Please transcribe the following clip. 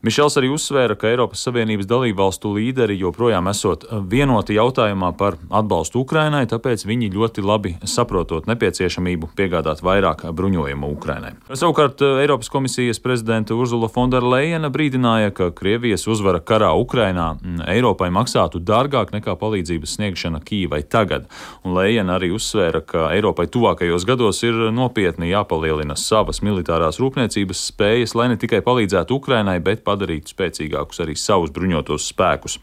Mišels arī uzsvēra, ka Eiropas Savienības dalībvalstu līderi joprojām esot vienoti jautājumā par atbalstu Ukrainai, tāpēc viņi ļoti labi saprotot nepieciešamību piegādāt vairāk bruņojumu Ukrainai. Savukārt Eiropas komisijas prezidente Ursula von der Leyena brīdināja, ka Krievijas uzvara karā Ukrainā Eiropai maksātu dārgāk nekā palīdzības sniegšana Kijivai tagad. Un Leyena arī uzsvēra, ka Eiropai tuvākajos gados ir nopietni jāpalielina savas militārās rūpniecības spējas, lai ne tikai palīdzētu Ukrainai, bet padarītu spēcīgākus arī savus bruņotos spēkus.